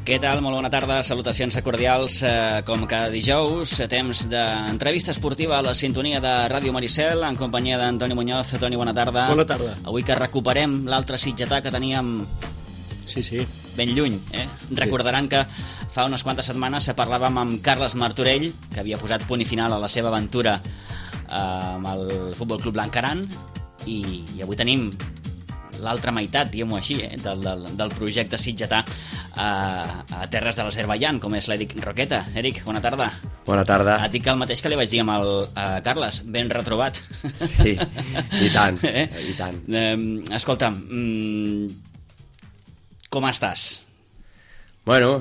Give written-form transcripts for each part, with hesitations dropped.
Què tal? Molt bona tarda, salutacions cordials. Com cada dijous, temps d'entrevista esportiva a la sintonia de Ràdio Maricel, en companyia d'Antoni Muñoz. Toni, bona tarda. Bona tarda. Avui que recuperem l'altre sitgetà que teníem ben lluny. Recordaran que fa unes quantes setmanes parlàvem amb Carles Martorell, que havia posat punt i final a la seva aventura amb el Futbol Club Blancaran, i avui tenim l'altra meitat, diguem-ho així, del projecte sitgetà a terres de l'Azerbaidjan, com és l'Eric Roqueta. Eric, bona tarda. Bona tarda. Et dic el mateix que li vaig dir amb el Carles, ben retrobat. Sí, i tant, i tant. Escolta, com estàs? Bueno...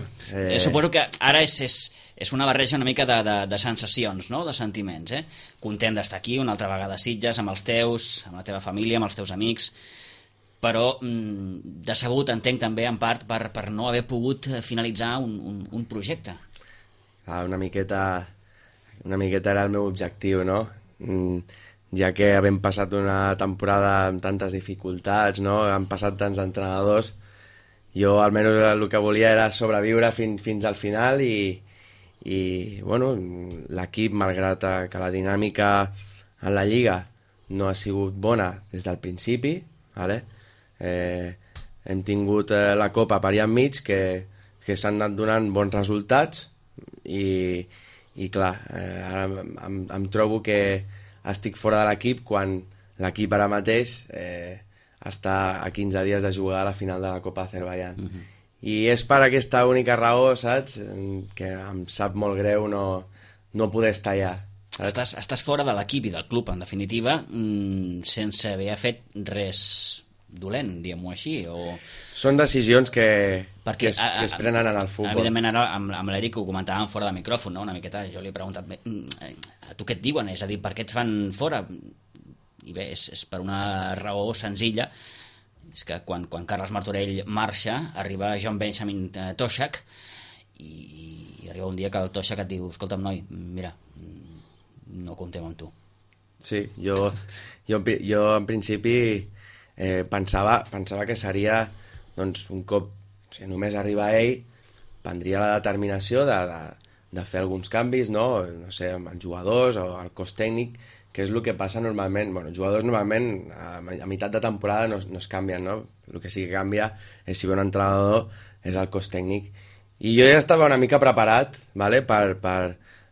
Suposo que ara és una barreja una mica de sensacions, no? De sentiments, Content d'estar aquí una altra vegada a Sitges, amb els teus, amb la teva família, amb els teus amics, però decebut, entenc també en part per no haver pogut finalitzar un projecte. Una miqueta era el meu objectiu, no? Ja que havent passat una temporada amb tantes dificultats, no? Han passat tants entrenadors, jo almenys el que volia era sobreviure fins al final i bueno, l'equip, malgrat que la dinàmica en la Lliga no ha sigut bona des del principi, ¿vale? Hem tingut la Copa per allà enmig que s'han anat donant bons resultats i clar, ara em trobo que estic fora de l'equip quan l'equip ara mateix està a 15 dies de jugar a la final de la Copa Azerbaidjan. I és per aquesta única raó, saps? Que em sap molt greu no poder estar allà. Estàs fora de l'equip i del club, en definitiva, sense haver fet res dolent, diguem-ho així, o... Són decisions que es prenen en el futbol. Evidentment, ara amb l'Eric ho comentàvem fora de micròfon, no? Una miqueta, jo li he preguntat, a tu què et diuen? És a dir, per què et fan fora? I bé, és per una raó senzilla, és que quan Carles Martorell marxa, arriba John Benjamin Toshak, i arriba un dia que el Toshak et diu, escolta'm, noi, mira, no comptem amb tu. Sí, jo en principi pensava que seria, doncs, un cop, si només arriba ell, prendria la determinació de fer alguns canvis, no sé, amb els jugadors o el cos tècnic, que és el que passa normalment. Bueno, els jugadors normalment a meitat de temporada no es canvien, no? El que sí que canvia és si ve un entrenador, és el cos tècnic. I jo ja estava una mica preparat, ¿vale? per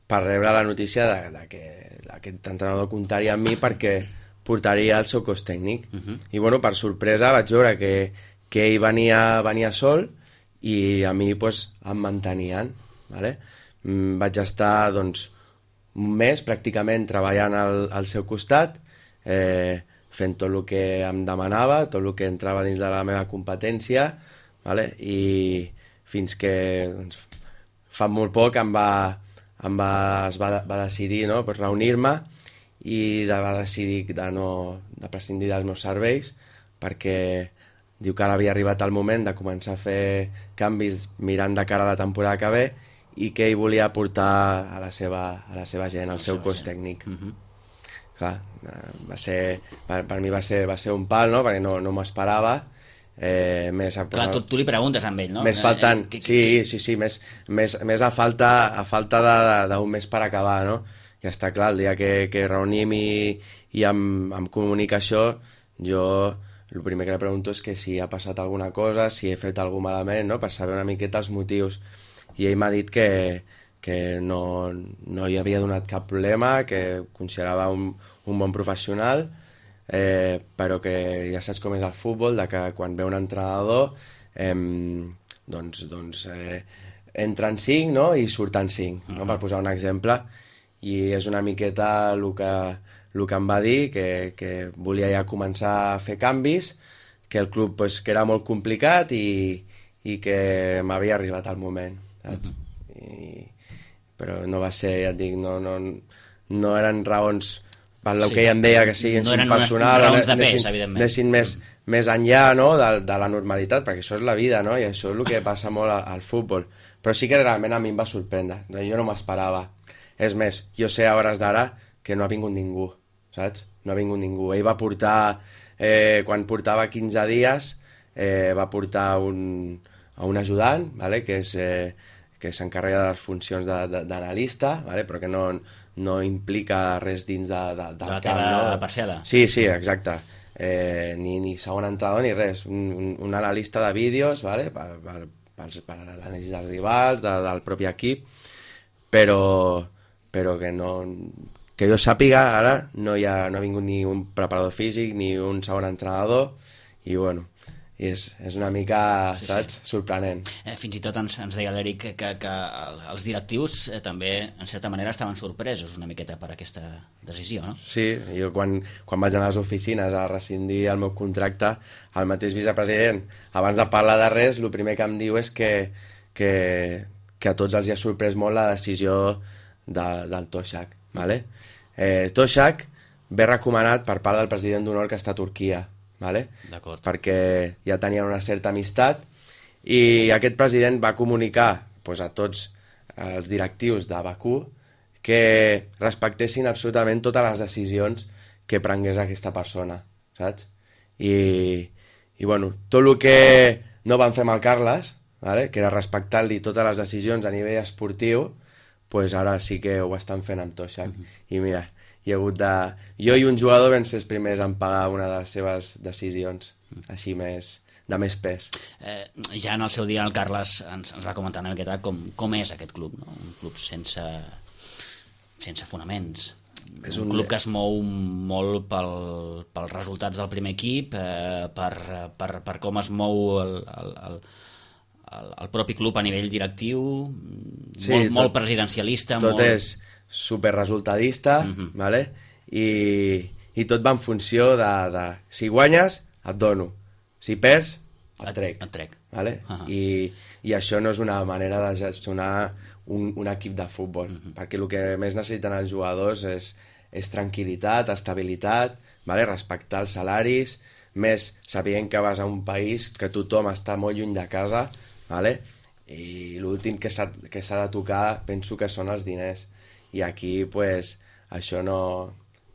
rebre la notícia de que aquest entrenador comptaria amb mi perquè portaria el seu cos tècnic. I bueno, per sorpresa vaig veure que ell venia sol i a mi pues, em mantenien, ¿vale? Vaig estar doncs un mes pràcticament treballant al seu costat, fent tot el que em demanava, tot el que entrava dins de la meva competència, ¿vale? I fins que doncs, fa molt poc es va decidir, no? Pues, reunir-me i va decidir de prescindir dels meus serveis perquè diu que ara havia arribat el moment de començar a fer canvis mirant de cara a la temporada que ve i que ell volia portar a la seva gent, al seu cos tècnic. Clar, per mi va ser un pal, no? Perquè no m'ho esperava. Clar, tu li preguntes amb ell, no? Més faltant, sí, més a falta d'un mes per acabar, no? Ja està clar, el dia que reunim i amb comunicació, jo el primer que li pregunto és que si ha passat alguna cosa, si he fet alguna malament, no? Per saber una miqueta els motius. I ell m'ha dit que no hi havia donat cap problema, que considerava un bon professional, però que ja saps com és el futbol, de que quan ve un entrenador entren 5, no? I surten 5, no? Per posar un exemple. I és una miqueta el que em va dir, que volia ja començar a fer canvis, que el club pues, que era molt complicat i que m'havia arribat el moment, saps? Però no va ser, ja et dic, no eren raons per el que ella em deia que siguin personal, no eren raons de pes, evidentment. Anessin més enllà, no? de la normalitat, perquè això és la vida, no? I això és el que passa molt al futbol. Però sí que realment a mi em va sorprendre, jo no m'esperava. És més, jo sé a hores d'ara que no ha vingut ningú, saps? No ha vingut ningú. Ell va portar, quan portava 15 dies, va portar un ajudant, vale? Que s'encarrega de les funcions d'analista, vale? Però que no implica res dins del camp. De la teva parcel·la. Sí, exacte. Ni segon entrenador ni res. Un analista de vídeos, vale? Per l'anàlisi dels rivals, del propi equip, però que no... Que jo sàpiga, ara no ha vingut ni un preparador físic ni un segon entrenador, i bueno, és una mica, saps, sorprenent. Fins i tot ens deia l'Eric que els directius també, en certa manera, estaven sorpresos una miqueta per aquesta decisió, no? Sí, jo quan vaig anar a les oficines a rescindir el meu contracte, el mateix vicepresident, abans de parlar de res, el primer que em diu és que a tots els hi ha sorprès molt la decisió del Toshak, vale? Toshak ve recomanat per part del president d'honor que està a Turquia, vale? Perquè ja tenien una certa amistat, i aquest president va comunicar a tots els directius de Bakú que respectessin absolutament totes les decisions que prengués aquesta persona, saps? I bueno, tot el que no van fer amb el Carles, vale? Que era respectar-li totes les decisions a nivell esportiu, pues ara sí que ho estan fent amb Toshak. I mira, hi ha hagut jo i un jugador vam ser els primers en pagar una de les seves decisions, així de més pes. Ja en el seu dia el Carles ens va comentar una miqueta com és aquest club, no? Un club sense fonaments. És un club que es mou molt pels resultats del primer equip, per com es mou el propi club a nivell directiu, sí, molt presidencialista. Tot és superresultadista, vale? I tot va en funció de si guanyes, et dono. Si perds, et trec. Vale? I això no és una manera de gestionar un equip de futbol, perquè el que més necessiten els jugadors és tranquil·litat, estabilitat, vale? Respectar els salaris, més sabent que vas a un país que tothom està molt lluny de casa, vale? I l'últim que s'ha de tocar penso que són els diners, i aquí pues, això no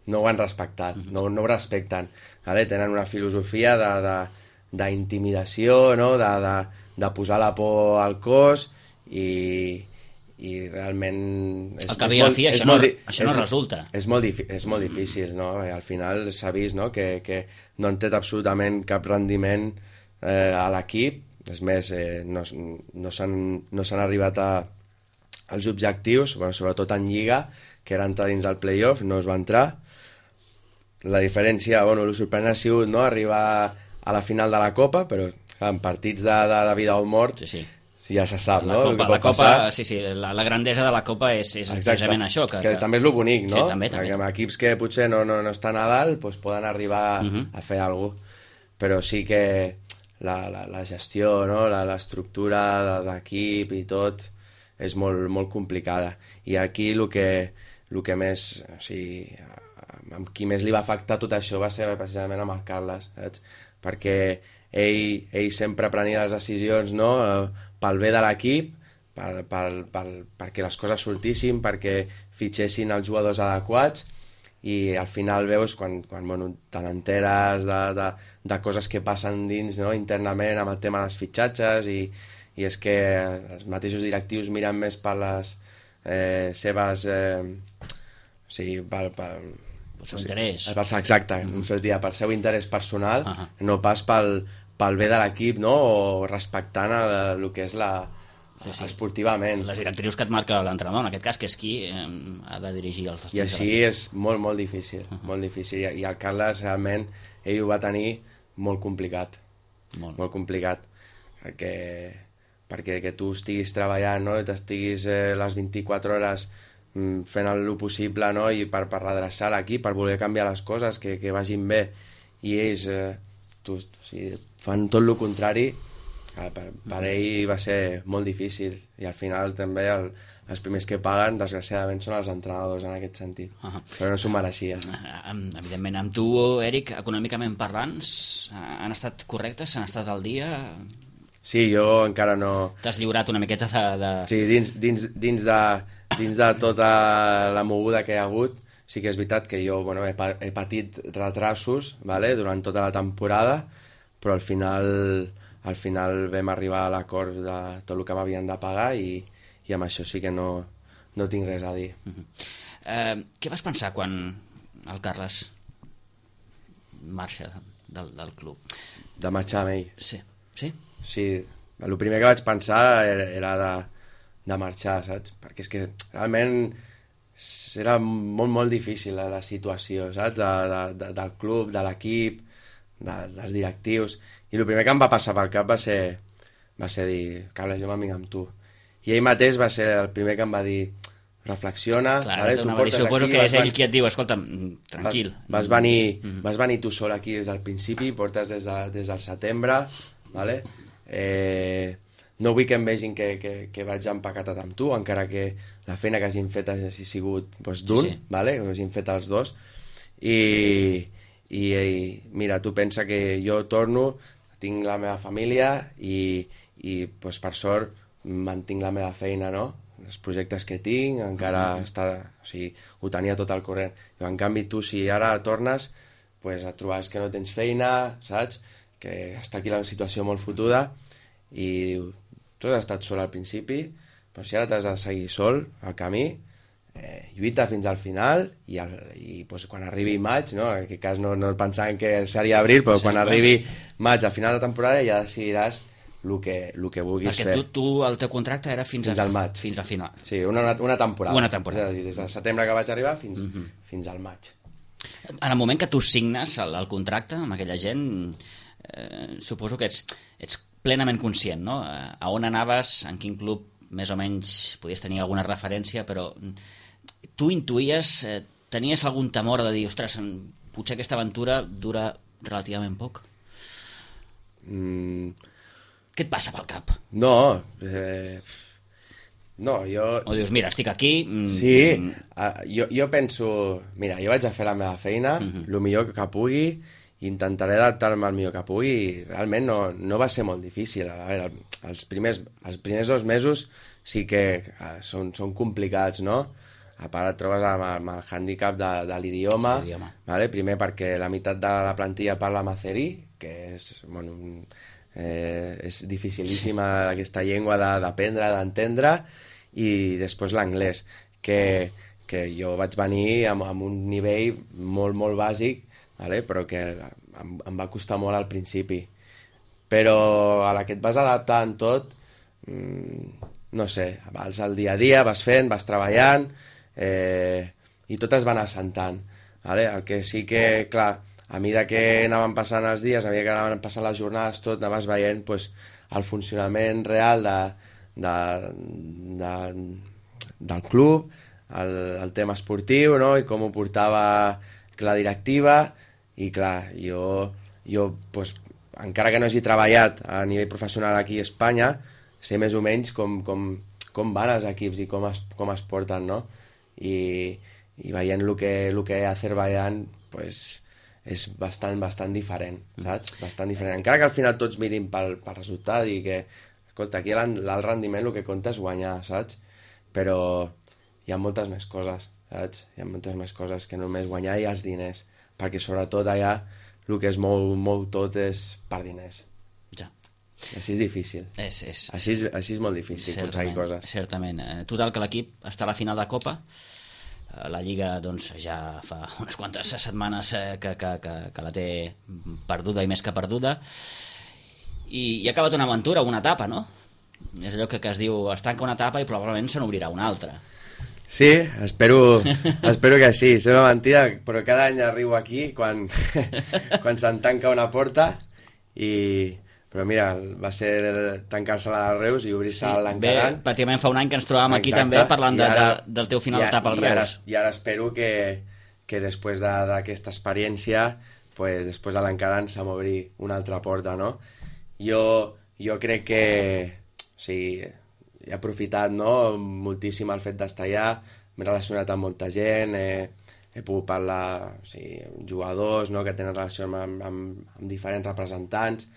ho han respectat, no ho respecten, vale? Tenen una filosofia d'intimidació, no? De posar la por al cos, i realment al cap i a la fi això no resulta. És molt difícil, no? Al final s'ha vist, no? Que no han tret absolutament cap rendiment a l'equip. És més, no s'han arribat als objectius, sobretot en Lliga, que era entrar dins el playoff, no es va entrar. La diferència, el sorprenent ha sigut, no? Arribar a la final de la Copa, però en partits de vida o mort, sí. Ja se sap, no? La Copa, sí, la grandesa de la Copa és precisament això. Que també és el bonic, no? Sí, també. Perquè amb equips que potser no estan a dalt, doncs poden arribar a fer alguna cosa. Però sí que la gestió, no? L'estructura d'equip i tot és molt complicada. I aquí el que més, o sigui, amb qui més li va afectar tot això va ser precisament amb el Carles, saps? Perquè ell sempre prenia les decisions, no? Pel bé de l'equip, perquè les coses sortissin, perquè fitxessin els jugadors adequats, i al final veus quan te n'enteres de coses que passen dins, no? Internament amb el tema dels fitxatges, i és que els mateixos directius miren més per les seves o sigui, pel seu interès. Exacte, per seu interès personal, no pas pel bé de l'equip, no? O respectant el que és esportivament. Les directrius que et marca l'entrenador, en aquest cas, que és qui ha de dirigir els estils. I així és molt difícil, molt difícil. I el Carles, realment, ell ho va tenir molt complicat. Molt complicat. Perquè que tu estiguis treballant, no? I t'estiguis les 24 hores fent el possible, no? I per redreçar l'equip, per voler canviar les coses, que vagin bé. I ells fan tot el contrari. Per ell va ser molt difícil, i al final també els primers que paguen, desgraciadament, són els entrenadors en aquest sentit, però no s'ho mereixia. Evidentment, amb tu, Eric, econòmicament parlant, han estat correctes? Han estat al dia? Sí, jo encara no... T'has lliurat una miqueta de... Sí, dins de tota la moguda que hi ha hagut, sí que és veritat que jo he patit retrasos, vale, durant tota la temporada, però al final al final vam arribar a l'acord de tot el que m'havien de pagar i amb això sí que no tinc res a dir. Què vas pensar quan el Carles marxa del club? De marxar amb ell? Sí. Sí? Sí, el primer que vaig pensar era de marxar, saps? Perquè és que realment era molt, molt difícil la situació, saps? Del club, de l'equip, dels directius. I el primer que em va passar pel cap va ser dir, Carles, jo me'n vinc amb tu. I ell mateix va ser el primer que em va dir, reflexiona, clar, vale? Tu portes suposo aquí, que és ell qui et diu, escolta'm, tranquil. Vas venir tu sol aquí des del principi, portes des del setembre, vale? No vull que em vegin que vaig empaquetat amb tu, encara que la feina que hagin fet hagi sigut d'un, sí. Vale? Que hagin fet els dos, i mira, tu pensa que jo torno, tinc la meva família i pues, per sort mantinc la meva feina, no? Els projectes que tinc, encara ho tenia tot al corrent. En canvi, tu, si ara tornes, pues, et trobaràs que no tens feina, saps? Que està aquí la situació molt fotuda i diu, tu has estat sol al principi, però si ara t'has de seguir sol al camí, lluita fins al final i pues, quan arribi maig, no? En aquest cas no pensàvem que seria abril, però sí, quan arribi maig, al final de temporada, ja decidiràs el que vulguis fer. Perquè tu, el teu contracte era fins al maig. Fins al final. Sí, una temporada. Una temporada. És a dir, des del setembre que vaig arribar fins al maig. En el moment que tu signes el contracte amb aquella gent, suposo que ets plenament conscient, no? A on anaves, en quin club més o menys podies tenir alguna referència, però tu intuïes, tenies algun temor de dir, ostres, potser aquesta aventura dura relativament poc? Què et passa pel cap? No, jo... O dius, mira, estic aquí... Sí, jo penso... Mira, jo vaig a fer la meva feina, el millor que pugui, intentaré adaptar-me al millor que pugui, i realment no va ser molt difícil. A veure, els primers 2 mesos sí que són complicats, no? A part et trobes amb el hàndicap de l'idioma, vale? Primer perquè la meitat de la plantilla parla macerí, que és... Bueno, és dificilíssima aquesta llengua d'aprendre, d'entendre, i després l'anglès, que jo vaig venir amb un nivell molt, molt bàsic, vale? Però que em va costar molt al principi. Però a la que et vas adaptant tot, no sé, vas al dia a dia, vas fent, vas treballant, i tot es va anar assentant. Vale? El que sí que, clar, a mesura que anaven passant els dies, a mesura que anaven passant les jornades, tot anaves veient pues, el funcionament real del club, el tema esportiu, no? I com ho portava la directiva, i clar, jo pues, encara que no hagi treballat a nivell professional aquí a Espanya, sé més o menys com van els equips i com es porten, no? I veient el que a Azerbaiyán, pues, és bastant diferent, saps? Bastant diferent. Encara que al final tots mirin pel resultat i que, escolta, aquí l'alt rendiment el que compta és guanyar, saps? Però hi ha moltes més coses, saps? Hi ha moltes més coses que només guanyar i els diners, perquè sobretot allà el que es mou tot és per diners. Ja. Així és difícil. Així és molt difícil aconseguir coses. Certament. Total, que l'equip està a la final de Copa. La Lliga doncs, ja fa unes quantes setmanes que la té perduda i més que perduda, i ha acabat una aventura, una etapa, no? És allò que es diu, es tanca una etapa i probablement se n'obrirà una altra. Sí, espero que sí. Sembla mentida, però cada any arribo aquí quan se'n tanca una porta però mira, va ser tancar-se la de Reus i obrir-se l'Encaran. Bé, pràcticament fa un any que ens trobàvem aquí també parlant del teu final d'etapa al Reus. I ara espero que després d'aquesta experiència, pues, després de l'Encaran se m'obri una altra porta, no? Jo crec que he aprofitat, no, moltíssim el fet d'estar allà, m'he relacionat amb molta gent, he pogut parlar amb jugadors, no, que tenen relació amb diferents representants,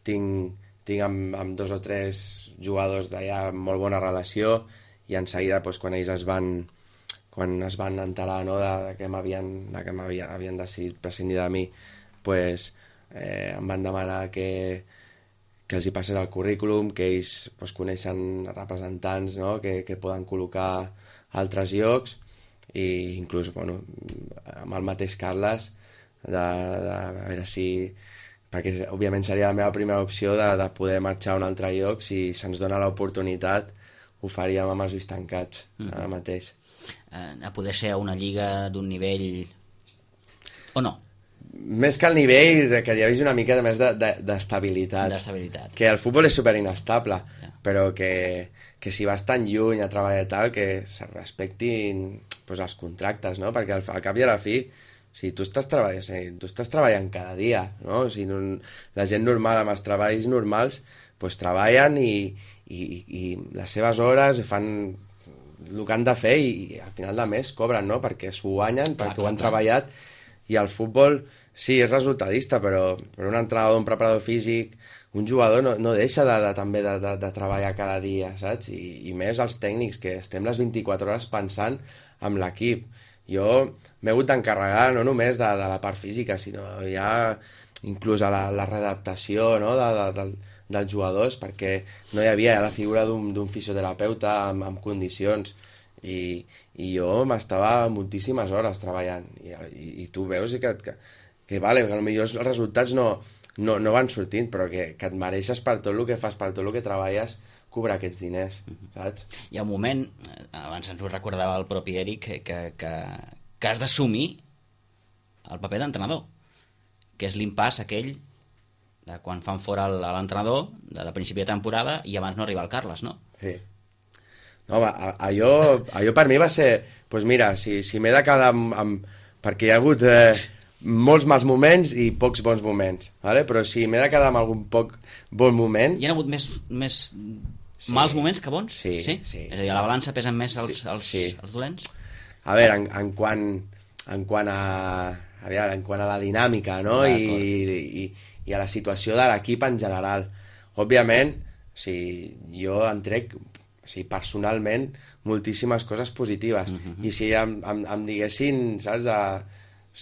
tinc amb 2 o 3 jugadors d'allà molt bona relació, i en seguida pues, quan ells es van enterar, no, que havien decidit prescindir de mi, pues, em van demanar que els hi passés el currículum, que ells pues, coneixen representants, no? que poden col·locar a altres llocs, i inclús bueno, amb el mateix Carles de veure si, perquè òbviament seria la meva primera opció de poder marxar a un altre lloc, si se'ns dona l'oportunitat ho faríem amb els ulls tancats ara mateix. A poder ser una lliga d'un nivell o no? Més que el nivell, que hi hagi una mica més d'estabilitat. D'estabilitat. Que el futbol és super inestable, però que si vas tan lluny a treballar i tal, que se respectin pues, els contractes, no? Perquè al cap i a la fi, si tu estàs treballant cada dia, no? O sigui, la gent normal amb els treballs normals pues, treballen i les seves hores fan el que han de fer i al final de mes cobren, no? Perquè s'ho guanyen, perquè ho han treballat. I el futbol, sí, és resultadista, però un entrenador, un preparador físic, un jugador no deixa també de treballar cada dia, saps? I més els tècnics, que estem les 24 hores pensant en l'equip. Jo m'he hagut d'encarregar no només de la part física, sinó ja inclús a la readaptació, no? dels jugadors, perquè no hi havia la figura d'un fisioterapeuta amb condicions. I jo m'estava moltíssimes hores treballant i tu veus que vale, que potser els resultats no van sortint, però que et mereixes per tot el que fas, per tot el que treballes, cobrar aquests diners, saps? Hi ha un moment, abans ens ho recordava el propi Eric, que has d'assumir el paper d'entrenador, que és l'impàs aquell de quan fan fora l'entrenador de principi de temporada i abans no arriba el Carles, no? Sí. No, allò per mi va ser... Doncs mira, si m'he de quedar perquè hi ha hagut molts mals moments i pocs bons moments, ¿vale? Però si m'he de quedar amb algun poc bon moment... Hi ha hagut més mals moments que bons? Sí. És a dir, a la balança pesen més els dolents? A veure, en quant a la dinàmica, no? I a la situació de l'equip en general. Òbviament, jo en trec... personalment, moltíssimes coses positives. I si em diguessin, saps,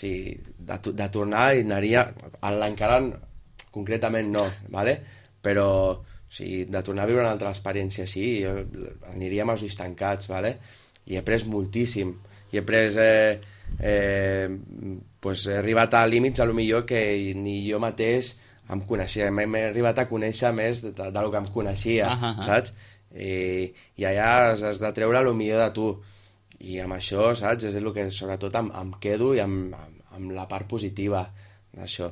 de tornar, i anaria... L'encara concretament no, ¿vale? Però de tornar a viure una altra experiència així, jo aniria amb els ulls tancats, ¿vale? I he après moltíssim. I he après... he arribat a límits, a lo millor, que ni jo mateix em coneixia. M'he arribat a conèixer més del que em coneixia, saps? I allà has de treure el millor de tu, i amb això, saps, és el que sobretot em quedo, i amb la part positiva d'això.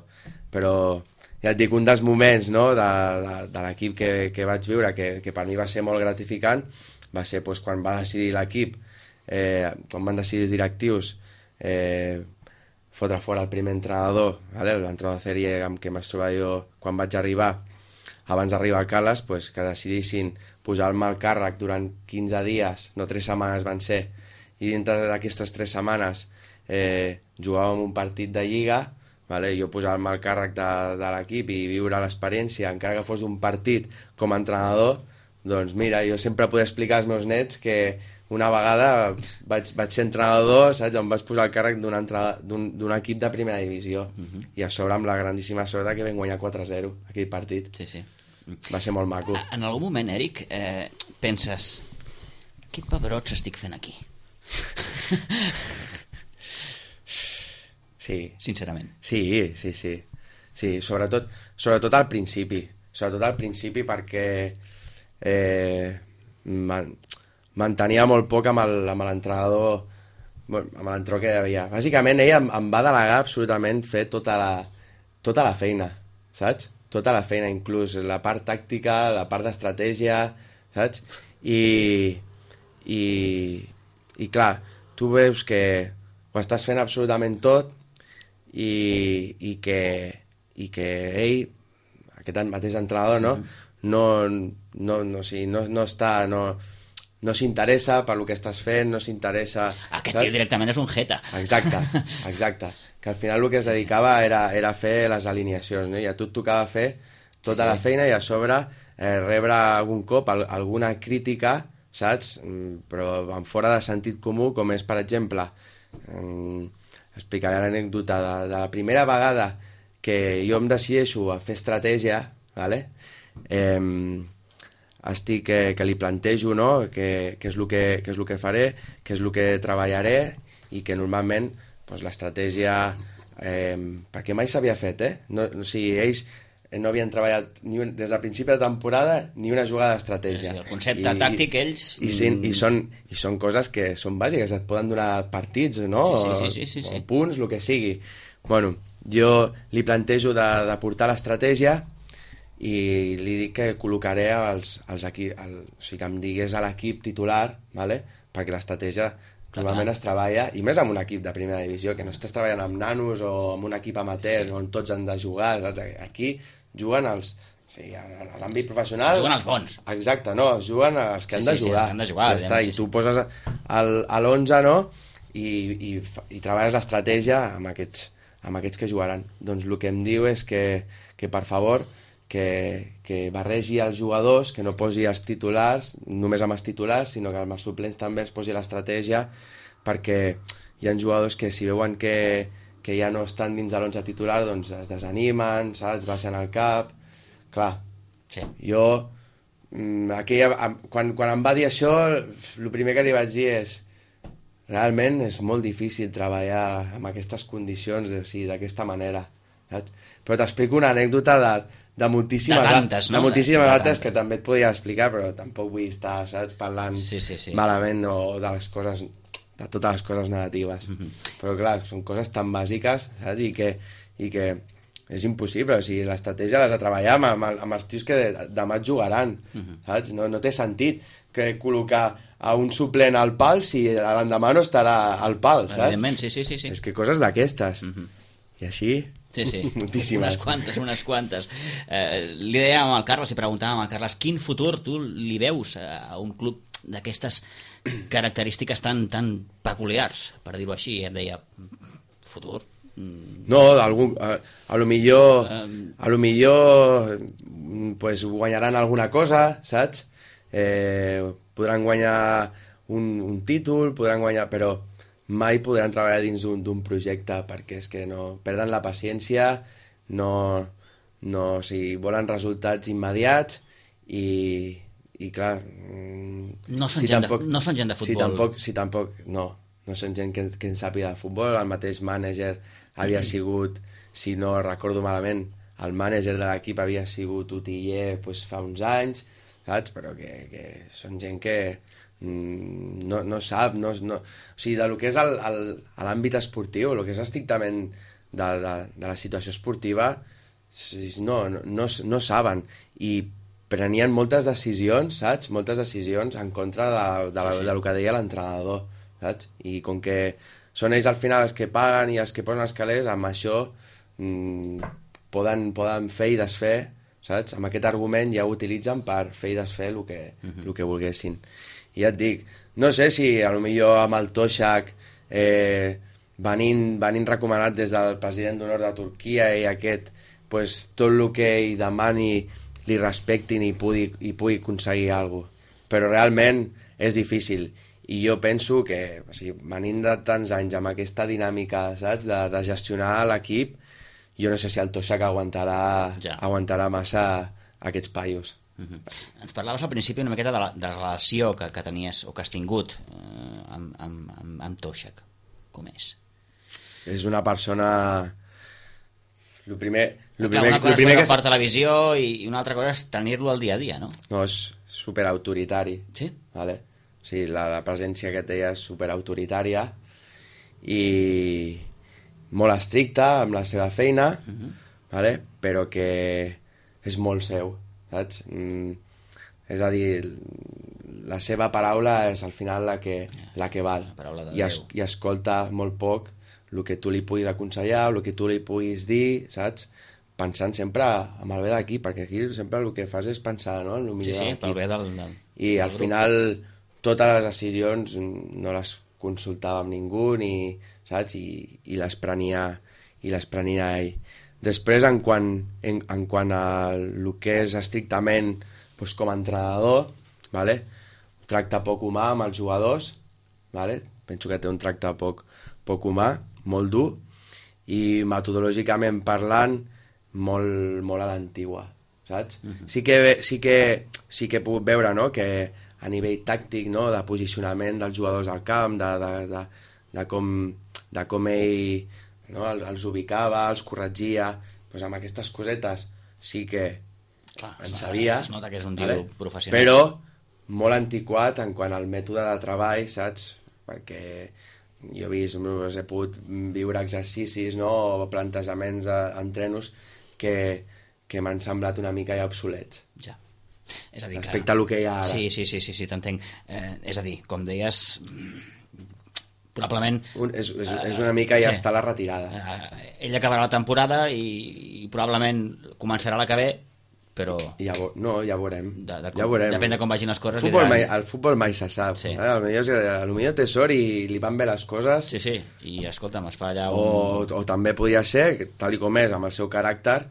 Però ja et dic, un dels moments, no, de l'equip que vaig viure, que per mi va ser molt gratificant, va ser quan va decidir l'equip, quan van decidir els directius fotre fora el primer entrenador, l'entrenador de sèrie amb què m'es trobava jo quan vaig arribar, abans d'arribar al Carles, que decidissin posar-me al càrrec durant 15 dies, no 3 setmanes van ser, i dintre d'aquestes 3 setmanes jugàvem un partit de Lliga, jo posar-me al càrrec de l'equip i viure l'experiència, encara que fos d'un partit com a entrenador, doncs mira, jo sempre podia explicar als meus nets que una vegada vaig ser entrenador, saps, on vaig posar al càrrec d'un equip de primera divisió, i a sobre amb la grandíssima sort que vam guanyar 4-0 aquell partit. Sí. Va ser molt maco. En algun moment, Eric, penses, quin pebrots estic fent aquí? Sí. Sincerament. Sí, sobretot al principi. Sobretot al principi perquè mantenia molt poc amb l'entrenador, amb l'entrenador que hi havia. Bàsicament, ell em va delegar absolutament fer tota la feina, saps? Tota la feina, inclús la part tàctica, la part d'estratègia, saps? I clar, tu veus que ho estàs fent absolutament tot i que ell, aquest mateix entrenador, no s'interessa per lo que estàs fent, no s'interessa... Aquest tio directament és un jeta. Exacte. Que al final el que es dedicava era fer les alineacions, no? I a tu et tocava fer tota la feina i a sobre rebre algun cop alguna crítica, saps? Però en fora de sentit comú, com és, per exemple, explicaré l'anècdota de la primera vegada que jo em decideixo a fer estratègia, ¿vale? Estic que li plantejo, no? Què és el que faré, què és el que treballaré, i que normalment doncs, l'estratègia, perquè mai s'havia fet, no, o sigui, ells no havien treballat des del principi de temporada ni una jugada d'estratègia. Sí, el concepte tàctic, ells... I són coses que són bàsiques, et poden donar partits, no? Sí. O punts, el que sigui. Bueno, jo li plantejo de portar l'estratègia i li dic que col·locaré els equips, o sigui, que em digués a l'equip titular, ¿vale? Perquè l'estratègia normalment es treballa, i més amb un equip de primera divisió, que no estàs treballant amb nanos o amb un equip amateur on tots han de jugar, saps? Aquí juguen a l'àmbit professional... Juguen els bons. Exacte, no, juguen els que han de jugar. Sí, han de jugar. Ja està, i tu poses a l'11, no?, i treballes l'estratègia amb aquests que jugaran. Doncs el que em diu és que per favor, que barregi els jugadors, que no posi els titulars, només amb els titulars, sinó que amb els suplents també es posi l'estratègia, perquè hi ha jugadors que si veuen que ja no estan dins de l'11 titular, doncs es desanimen, saps? Baixen el cap... Clar, sí. Jo, quan em va dir això, el primer que li vaig dir és realment és molt difícil treballar en aquestes condicions, o sigui, d'aquesta manera, saps? Però t'explico una anècdota de moltíssimes tantes, no? De moltíssimes altres que també et podria explicar, però tampoc vull estar, saps, parlant malament o de les coses... de totes les coses negatives. Però clar, són coses tan bàsiques, saps? I que és impossible, o sigui, l'estratègia l'has de treballar amb els tios que demà et jugaran, saps? No té sentit que col·locar a un suplent al pal si l'endemà no estarà al pal, saps? Evidentment, sí. És que coses d'aquestes. I així, moltíssimes. Unes quantes. Li dèiem al Carles, li preguntàvem al Carles, quin futur tu li veus a un club d'aquestes característiques tan peculiars, per dir-ho així? Em deia, futur? No, a lo millor pues, guanyaran alguna cosa, saps? Podran guanyar un títol, podran guanyar, però mai podran treballar dins d'un projecte, perquè és que no perden la paciència, o sigui, volen resultats immediats i clar... No són gent de futbol. No són gent que en sàpiga de futbol. El mateix mànager havia sigut, si no recordo malament, el mànager de l'equip havia sigut Utiller pues, fa uns anys, saps? Però que són gent que no sap, o sigui, del que és l'àmbit esportiu, el que és estrictament de la situació esportiva, no saben, i prenien moltes decisions, saps? Moltes decisions en contra del que deia l'entrenador, saps? I com que són ells al final els que paguen i els que posen els calés, amb això poden fer i desfer, saps? Amb aquest argument ja ho utilitzen per fer i desfer el que volguessin. I ja et dic, no sé si potser amb el Toshak venint recomanat des del president d'honor de Turquia i aquest, pues, tot el que ell demani li respectin i pugui aconseguir alguna cosa. Però realment és difícil. I jo penso que, o sigui, venint de tants anys amb aquesta dinàmica, saps, de gestionar l'equip, jo no sé si el Toshak aguantarà massa aquests paios. Ens parlaves al principi una miqueta de la relació que tenies o que has tingut amb Toshak. Com és? És una persona... Una cosa és veure per televisió i una altra cosa és tenir-lo al dia a dia, no? No, és superautoritari. Sí? Vale? O sigui, la presència que té és superautoritària i molt estricta amb la seva feina, vale? Però que és molt seu, saps? És a dir, la seva paraula és al final la que val. I escolta molt poc el que tu li puguis aconsellar, el que tu li puguis dir, saps? Pensant sempre amb el bé d'aquí, perquè aquí sempre el que fas és pensar, no? En el millor sí, pel bé del I al final totes les decisions no les consultava amb ningú, saps? I les prenia ell. Després, en quant a el que és estrictament doncs, com a entrenador, vale? Tracta poc humà amb els jugadors, vale? Penso que té un tracte poc humà, molt dur, i metodològicament parlant molt a l'antigua, saps? Sí que he pogut veure, no?, que a nivell tàctic, no?, de posicionament dels jugadors al camp, de com ell, no?, els ubicava, els corregia, doncs amb aquestes cosetes sí que en sabia. Es nota que és un tio professional. Però molt antiquat en quant al mètode de treball, saps? Perquè jo he pogut viure exercicis, no?, o plantejaments entrenos que m'han semblat una mica ja obsolets. Ja. És a dir, respecte a lo que hi ha ara. Sí, t'entenc. És a dir, com deies, probablement... És una mica ja està a la retirada. Ell acabarà la temporada i probablement començarà la que ve, però... Ja veurem. Depèn de com vagin les coses. El futbol mai se sap. Sí. Potser té sort i li van bé les coses. Sí, i escolta'm, es fa allà o també podria ser, tal com és, amb el seu caràcter,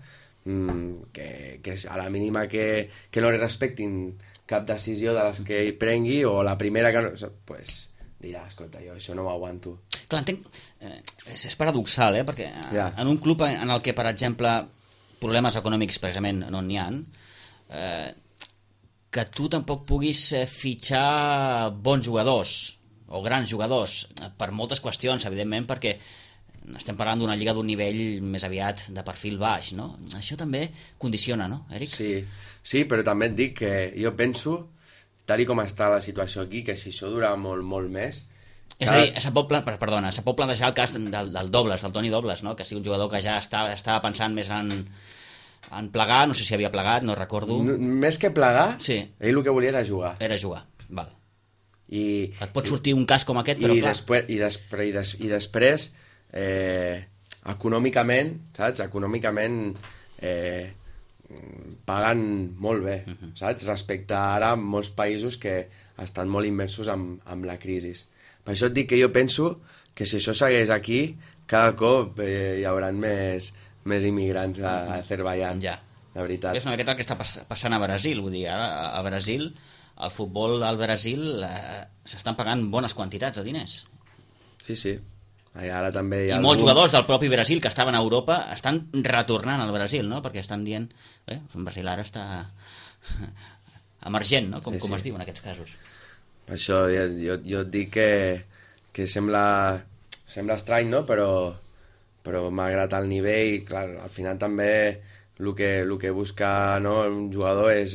que a la mínima que no li respectin cap decisió de les que ell prengui, o la primera que no... Pues dirà, escolta, jo això no ho aguanto. Clar, entenc... És paradoxal, perquè en un club en el que, per exemple, problemes econòmics precisament no n'hi ha, que tu tampoc puguis fitxar bons jugadors o grans jugadors per moltes qüestions, evidentment, perquè estem parlant d'una lliga d'un nivell més aviat de perfil baix, no? Això també condiciona, no, Eric? Sí, però també et dic que jo penso, tal com està la situació aquí, que si això dura molt, molt més... És a dir, se pot plantejar el cas del Dobles, del Toni Dobles, no?, que sigui un jugador que ja estava pensant més en plegar, no sé si havia plegat, no recordo. Més que plegar, sí. Ell el que volia era jugar. Val. Et pot sortir un cas com aquest, però clar... I després econòmicament, saps? Econòmicament paguen molt bé, saps? Respecte a ara molts països que estan molt immersos amb la crisi. Per això et dic que jo penso que si això segueix aquí, cada cop hi haurà més immigrants a Azerbaiyán, de veritat. És una miqueta el que està passant a Brasil, vull dir, ara a Brasil, el futbol al Brasil s'estan pagant bones quantitats de diners. Sí. Ara també hi ha molts jugadors del propi Brasil que estaven a Europa estan retornant al Brasil, no?, perquè estan dient el Brasil ara està emergent, no?, com es diu en aquests casos. Per això jo et dic que sembla estrany, no?, però malgrat el nivell, clar, al final també el que busca, no, un jugador és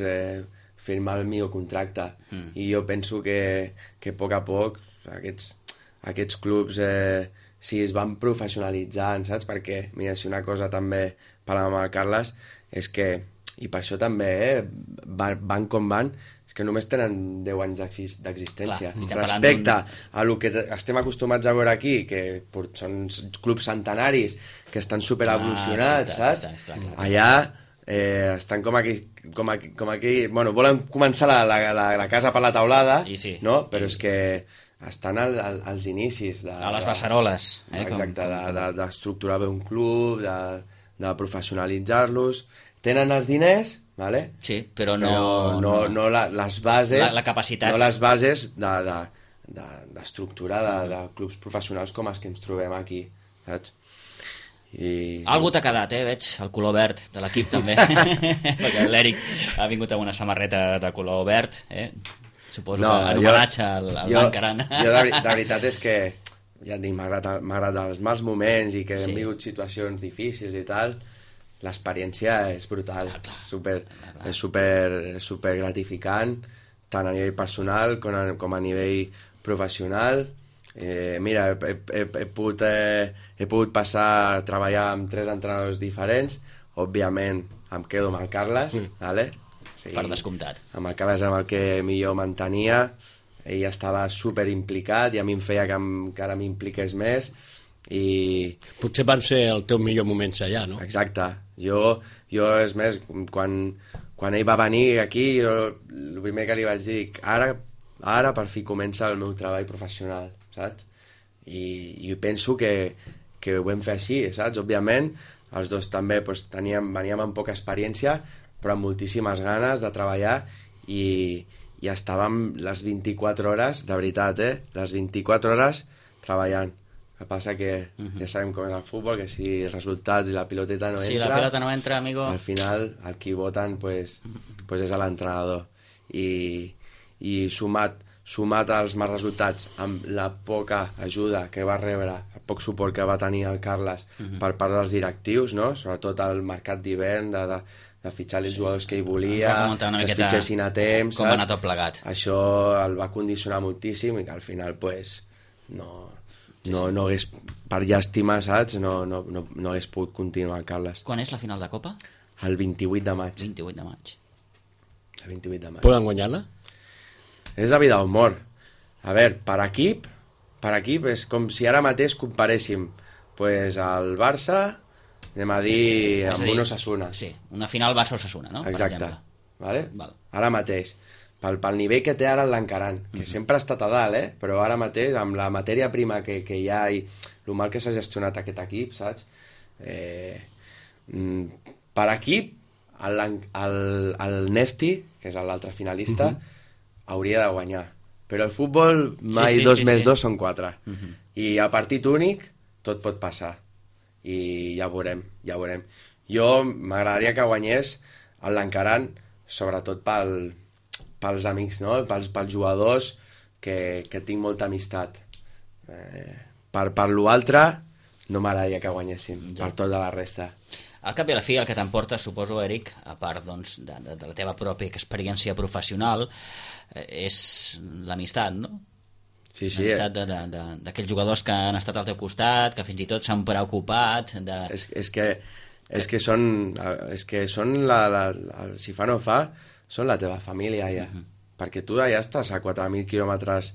firmar el millor contracte, i jo penso que a poc aquests clubs si es van professionalitzant, saps? Perquè, mira, si una cosa també parlàvem amb el Carles, és que, i per això també van com van, és que només tenen 10 anys d'existència. Respecte a el que estem acostumats a veure aquí, que són clubs centenaris, que estan superevolucionats, saps? Allà estan com aquí... Bueno, volen començar la casa per la teulada, no? Però és que estan als inicis a les beceroles, exacte, d'estructurar bé un club, de professionalitzar-los. Tenen els diners, vale? Sí, però no les bases, la capacitat, no les bases d'estructura de clubs professionals com els que ens trobem aquí, saps? Algú t'ha quedat, veig, el color verd de l'equip també, perquè l'Eric ha vingut amb una samarreta de color verd, suposo que en homenatge al Lancaran. Jo de veritat és que, ja et dic, malgrat els mals moments i que hem vingut situacions difícils i tal, l'experiència és brutal, és super gratificant, tant a nivell personal com a nivell professional. Mira, he pogut passar a treballar amb 3 entrenadors diferents. Òbviament em quedo amb el Carles, vale? Sí, per descomptat. Amb el Carles amb el que millor m'entenia, ell estava super implicat i a mi em feia que encara m'impliqués més. Potser van ser el teu millor moments allà, no? Exacte. Jo és més, quan ell va venir aquí, el primer que li vaig dir, ara per fi comença el meu treball professional, saps? I penso que ho vam fer així, saps? Òbviament, els dos també veníem amb poca experiència, però amb moltíssimes ganes de treballar i estàvem les 24 hores, de veritat, les 24 hores treballant. El que passa que ja sabem com és el futbol, que si els resultats i la piloteta no entra... Si la pilota no entra, amigo... Al final, el qui voten pues és a l'entrenador. I sumat als mals resultats amb la poca ajuda que va rebre, el poc suport que va tenir el Carles per part dels directius, no? Sobretot al mercat d'hivern, de fitxar els jugadors que hi volia, que es fitxessin a temps, com va anar tot plegat. Això el va condicionar moltíssim i que al final pues, no hagués, per llàstima, saps? No hagués pogut continuar el Carles. Quan és la final de Copa? El 28 de maig. 28 de maig. El 28 de maig. Poden guanyar-la? És la vida o mort. A veure, per equip és com si ara mateix comparéssim pues, el Barça, anem a dir, amb un Osasuna. Sí, una final Barça-Osasuna, no? Exacte. Per exemple. Vale? Val. Ara mateix. Pel nivell que té ara l'Encaran, que sempre ha estat a dalt, però ara mateix, amb la matèria prima que hi ha i el mal que s'ha gestionat aquest equip, saps? Per equip, el Nefti, que és l'altre finalista, hauria de guanyar. Però el futbol mai 2 més 2 són 4. I a partit únic tot pot passar. I ja ho veurem. Jo m'agradaria que guanyés l'Encaran, sobretot pels amics, no? Pels jugadors que tinc molta amistat. Per l'altre no m'agradaria que guanyessin, per tot de la resta. Al cap i a la fi, el que t'emporta, suposo, Eric, a part doncs, de la teva pròpia experiència professional, és l'amistat, no? Sí. L'amistat d'aquells jugadors que han estat al teu costat, que fins i tot s'han preocupat de... És que són si fa no fa, són la teva família ja. Perquè tu ja estàs a 4.000 quilòmetres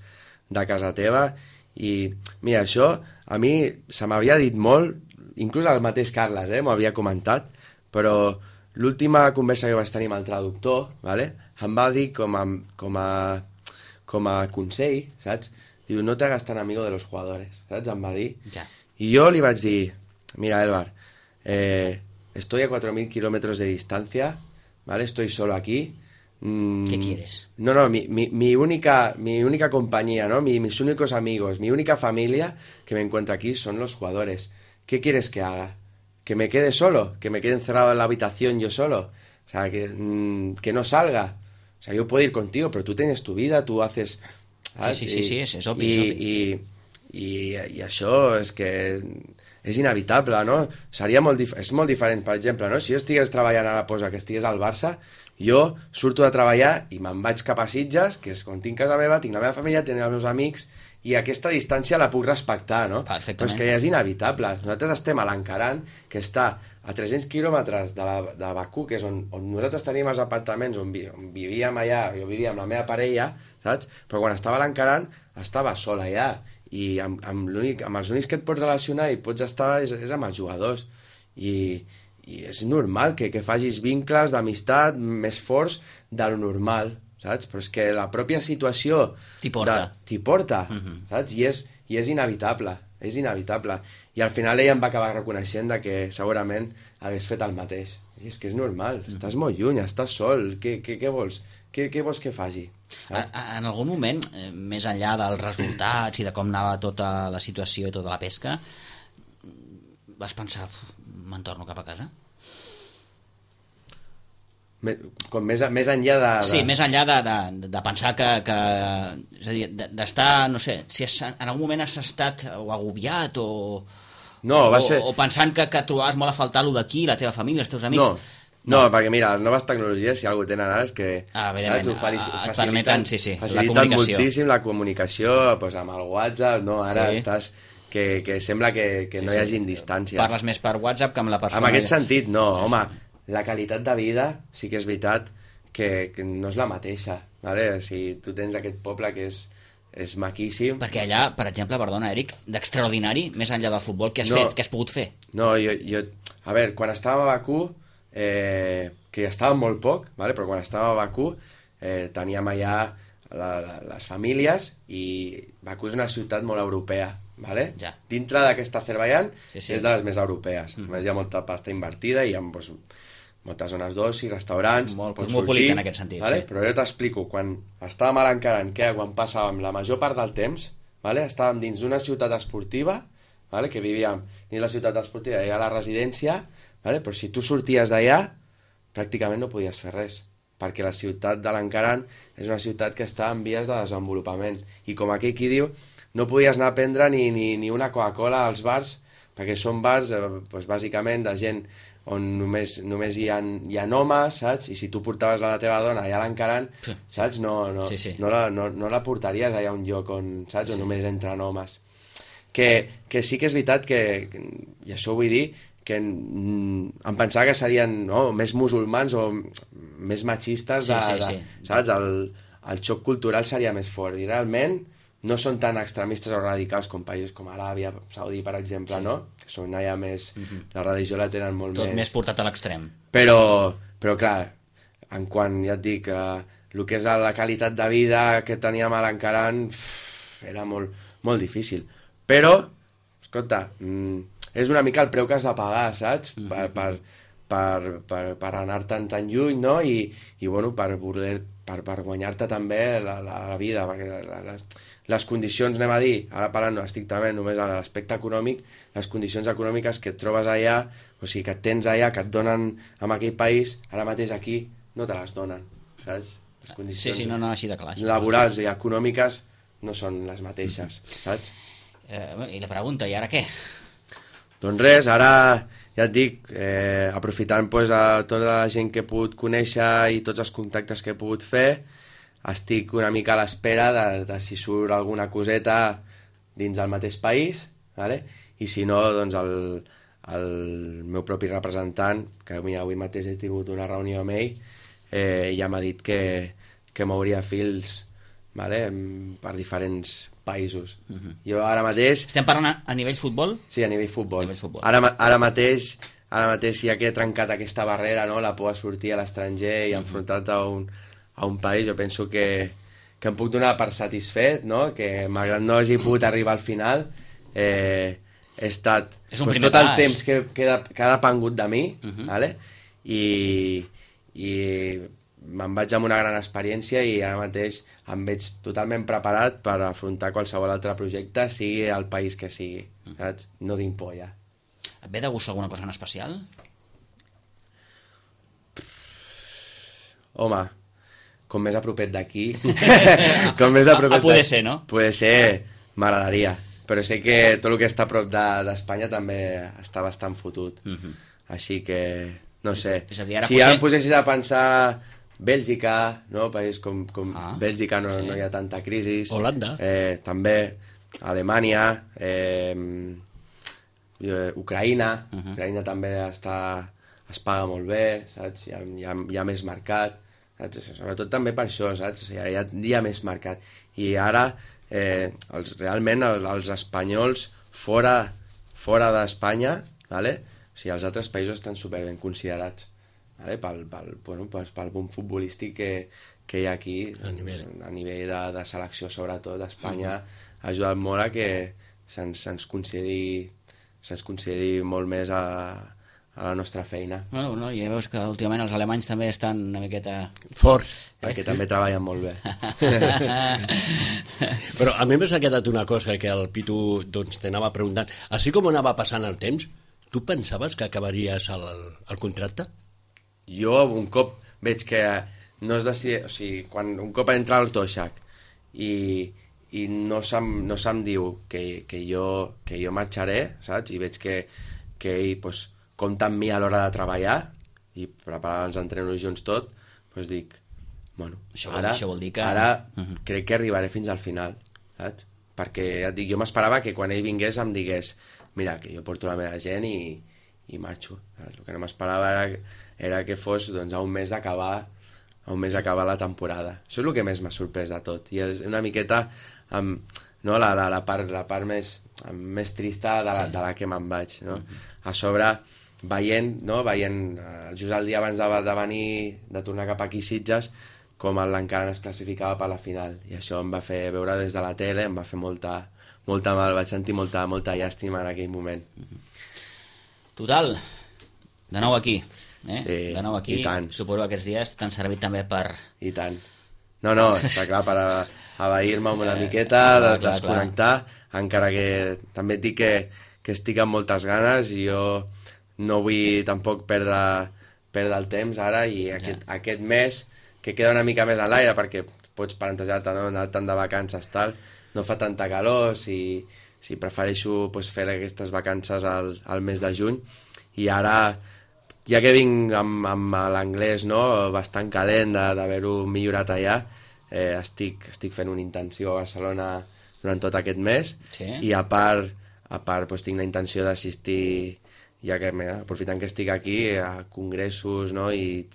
de casa teva i, mira, això a mi se m'havia dit molt, inclús el mateix Carles m'ho havia comentat, però l'última conversa que vaig tenir amb el traductor, ¿vale? Em va dir com a consell, saps? Diu, no te hagas tan amigo de los jugadores, saps? Em va dir. Ja. I jo li vaig dir, mira, Elbar, estoy a 4.000 kilómetros de distancia, ¿vale? Estoy solo aquí. ¿Qué quieres? No, mi única compañía, ¿no? Mis únicos amigos, mi única familia que me encuentro aquí son los jugadores. ¿Qué quieres que haga? ¿Que me quede solo? ¿Que me quede encerrado en la habitación yo solo? O sea, que no salga. O sea, yo puedo ir contigo, pero tú tienes tu vida, tú haces... ¿sabes? Sí, és obvi. I això és que és inevitable, no? És molt diferent, per exemple, no? Si jo estigués treballant a la posa, que estigués al Barça, jo surto de treballar i me'n vaig cap a Sitges, que és on tinc casa meva, tinc la meva família, tinc els meus amics, i aquesta distància la puc respectar, no? Perfectament. Però és que ja és inevitable. Nosaltres estem a l'Encaran, que està a 300 quilòmetres de Bakú, que és on nosaltres tenim els apartaments, on vivíem allà, jo vivia amb la meva parella, saps? Però quan estava a l'Encaran, estava sol allà, i amb els únics que et pots relacionar i pots estar és amb els jugadors. I és normal que facis vincles d'amistat més forts de lo normal, saps? Però és que la pròpia situació t'hi porta, saps? I és inevitable, I al final ella em va acabar reconeixent que segurament hagués fet el mateix. I és que és normal, estàs molt lluny, estàs sol, què vols? Què vols que faci? En algun moment, més enllà dels resultats i de com anava tota la situació i tota la pesca, vas pensar, me'n torno cap a casa? Com més enllà de... Sí, més enllà de pensar que és a dir, d'estar, no sé, si en algun moment has estat o agobiat o pensant que trobaves molt a faltar lo d'aquí, la teva família, els teus amics... No, perquè mira, les noves tecnologies, si alguna tenen ara, és que et permeten faciliten moltíssim la comunicació doncs, amb el WhatsApp, no? Ara estàs... que sembla que no hi hagin distàncies. Parles més per WhatsApp que amb la persona... En aquest sentit, no, home, la qualitat de vida sí que és veritat que no és la mateixa, ¿vale? Si tu tens aquest poble que és maquíssim... Perquè allà, per exemple, perdona, Eric, d'extraordinari, més enllà del futbol, què has fet, què has pogut fer? No, jo... A veure, quan estàvem a Bakú, que estàvem molt poc, ¿vale? Però quan estàvem a Bakú teníem allà les famílies i Bakú és una ciutat molt europea, ¿vale? Ja. Dintre d'aquesta Azerbaiyán és de les més europees. Hi ha molta pasta invertida i hi ha moltes zones d'oci, restaurants... Molt cosmopolita en aquest sentit, ¿vale? Però jo t'explico, quan estàvem a l'Encaran, quan passàvem la major part del temps, ¿vale? Estàvem dins d'una ciutat esportiva vale? Que vivíem dins la ciutat esportiva, hi ha la residència, vale? Però si tu sorties d'allà, pràcticament no podies fer res, perquè la ciutat de l'Encaran és una ciutat que està en vies de desenvolupament, i com aquell qui diu, no podies anar a prendre ni una Coca-Cola als bars, perquè són bars, doncs, bàsicament, de gent on només hi ha homes, saps? I si tu portaves la teva dona allà a l'Encaran, saps? No la portaries allà a un lloc on, saps? On només entren homes. Que sí que és veritat que, i això ho vull dir, que em pensava que serien més musulmans o més machistes, saps? El xoc cultural seria més fort, i realment no són tan extremistes o radicals com països com Aràbia Saudí, per exemple, no? Que són allà més... La religió la tenen molt tot més portat a l'extrem. Però clar, en quant, ja et dic, el que és la qualitat de vida que teníem a l'Encaran era molt, molt difícil. Però, escolta, és una mica el preu que has de pagar, saps? Per anar-te'n tan lluny, no? I bueno, per guanyar-te també la vida, perquè les condicions, anem a dir, ara parlant estrictament només a l'aspecte econòmic, les condicions econòmiques que et trobes allà, o sigui, que et tens allà, que et donen en aquell país, ara mateix aquí no te les donen, saps? Les condicions així de clar. Laborals i econòmiques no són les mateixes, saps? I la pregunta, i ara què? Doncs res, ara ja et dic, aprofitant tota la gent que he pogut conèixer i tots els contactes que he pogut fer, estic una mica a l'espera de si surt alguna coseta dins del mateix país, ¿vale? I si no, doncs el meu propi representant, que avui mateix he tingut una reunió amb ell, ja m'ha dit que mouria fils, ¿vale? Per diferents països. Jo ara mateix... Estem parlant a nivell futbol? Sí, a nivell futbol. Ara mateix ja que he trencat aquesta barrera, no? La por a sortir a l'estranger i enfrontar-te a un país, jo penso que em puc donar per satisfet, no? Que malgrat no hagi pogut arribar al final, he estat tot el temps que ha depengut de mi, ¿vale? I me'n vaig amb una gran experiència i ara mateix em veig totalment preparat per afrontar qualsevol altre projecte, sigui el país que sigui, saps? No tinc por ja. Et ve de gust alguna cosa en especial? Home, com més a propet d'aquí... com més a propet poder ser, no? Poder ser, m'agradaria. Però sé que tot el que està a prop d'Espanya també està bastant fotut. Així que, no sé. És a dir, si ara em posessis a pensar Bèlgica, no? País com Bèlgica no hi ha tanta crisi. Holanda. També Alemanya, Ucraïna. Ucraïna també es paga molt bé, saps? Hi ha més mercat. Sobretot també per això, saps? Hi ha més mercat. I ara, realment, els espanyols fora d'Espanya, ¿vale? O sigui, els altres països estan superben considerats, ¿vale? Pel boom futbolístic que hi ha aquí, a nivell de selecció, sobretot, d'Espanya, ha ajudat molt a que se'ns consideri molt més a la nostra feina. Bueno, ja veus que últimament els alemanys també estan una miqueta... Forts. Perquè també treballen molt bé. Però a mi m'ha quedat una cosa que el Pitu t'anava preguntant. Així com anava passant el temps, tu pensaves que acabaries el contracte? Jo un cop veig que no es decideix... O sigui, quan un cop entra al Toixac i no se'm diu que jo marxaré, saps? I veig que ell pues, compta amb mi a l'hora de treballar i preparar els entrenos junts tot, doncs dic, bueno, això vol dir que... ara crec que arribaré fins al final, saps? Perquè ja et dic, jo m'esperava que quan ell vingués em digués, mira, que jo porto la meva gent i marxo. El que no m'esperava era que fos doncs, a un mes d'acabar la temporada. Això és el que més m'ha sorprès de tot. I és una miqueta no, la part més trista de la que me'n vaig. No? A sobre, veient just el dia abans de venir, de tornar cap aquí a Sitges, com l'Encaran es classificava per la final. I això em va fer veure des de la tele, em va fer molta mal, vaig sentir molta llàstima en aquell moment. Total, de nou aquí. Sí, de nou aquí, suposo que aquests dies t'han servit també per... I tant. No, està clar, per avair-me una miqueta, desconnectar, encara que també et dic estic amb moltes ganes i jo no vull tampoc perdre el temps ara i aquest mes que queda una mica més a l'aire perquè pots plantejar-te anar tant de vacances tal, no fa tanta calor si prefereixo fer aquestes vacances al mes de juny i ara ja que vinc amb l'anglès bastant calent d'haver-ho millorat allà, estic fent una intenció a Barcelona durant tot aquest mes i a part tinc la intenció d'assistir, ja que aprofitant que estic aquí, a congressos i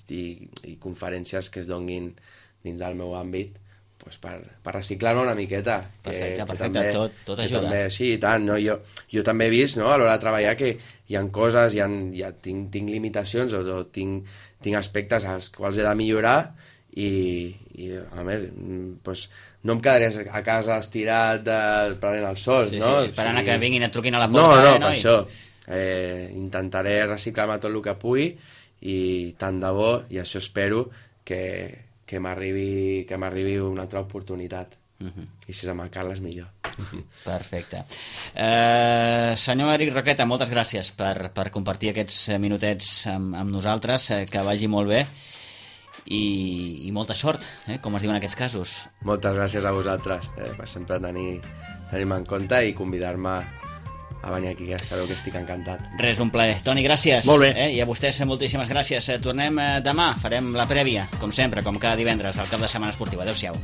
conferències que es donguin dins del meu àmbit per reciclar-me una miqueta. Perfecte, tot ajuda. També, sí, i tant. Jo també he vist a l'hora de treballar que hi ha coses, tinc limitacions o tinc aspectes als quals he de millorar i a més, no em quedaré a casa estirat prenent el sol, sí, no? Sí, esperant que vinguin et truquin a la porta. No, per això. Intentaré reciclar-me tot el que pugui i tant de bo, i això espero, que m'arribi una altra oportunitat. I si és amb el Carles, millor. Perfecte. Senyor Eric Roqueta, moltes gràcies per compartir aquests minutets amb nosaltres, que vagi molt bé i molta sort, com es diu en aquests casos. Moltes gràcies a vosaltres per sempre tenir-me en compte i convidar-me a venir aquí, que sabeu que estic encantat. Res, un plaer. Toni, gràcies. Molt bé. I a vostès moltíssimes gràcies. Tornem demà, farem la prèvia, com sempre, com cada divendres, del cap de setmana esportiu. Adéu-siau.